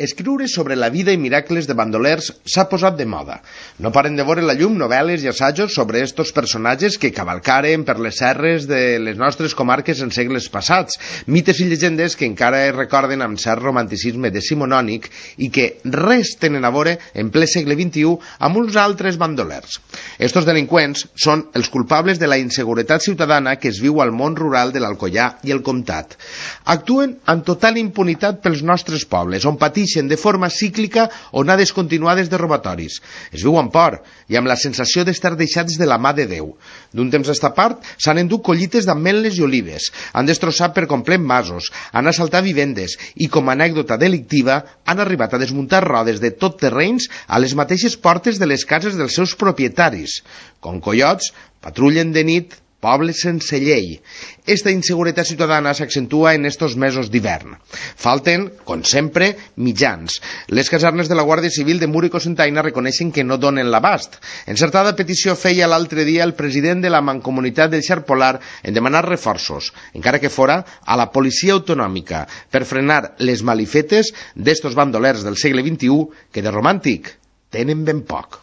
Escriure sobre la vida i miracles de bandolers s'ha posat de moda. No paren de veure la llum novel·les i assajos sobre estos personatges que cavalcaren per les serres de les nostres comarques en segles passats, mites i llegendes que encara es recorden amb cert romanticisme decimonònic i que res tenen a veure en ple segle XXI amb uns altres bandolers. Estos delinqüents són els culpables de la inseguretat ciutadana que es viu al món rural de l'Alcoià i el Comtat. Actuen amb total impunitat pels nostres pobles, on pateixen de forma cíclica onades continuades de robatoris. Es viu amb por i amb la sensació d'estar deixats de la mà de Déu. D'un temps a esta part s'han endut collites d'ametlles i olives, han destrossat per complet masos, han assaltat vivendes i, com a anècdota delictiva, han arribat a desmuntar rodes de tot terrenys a les mateixes portes de les cases dels seus propietaris. Com coiots, patrullen de nit pobles sense llei. Esta inseguretat ciutadana s'accentua en estos mesos d'hivern. Falten, com sempre, mitjans. Les casernes de la Guàrdia Civil de Mur i Cocentaina reconeixen que no donen l'abast. Encertada petició feia l'altre dia el president de la Mancomunitat del Xarp Polar en demanar reforços, encara que fora a la policia autonòmica, per frenar les malifetes d'estos bandolers del segle XXI que de romàntic tenen ben poc.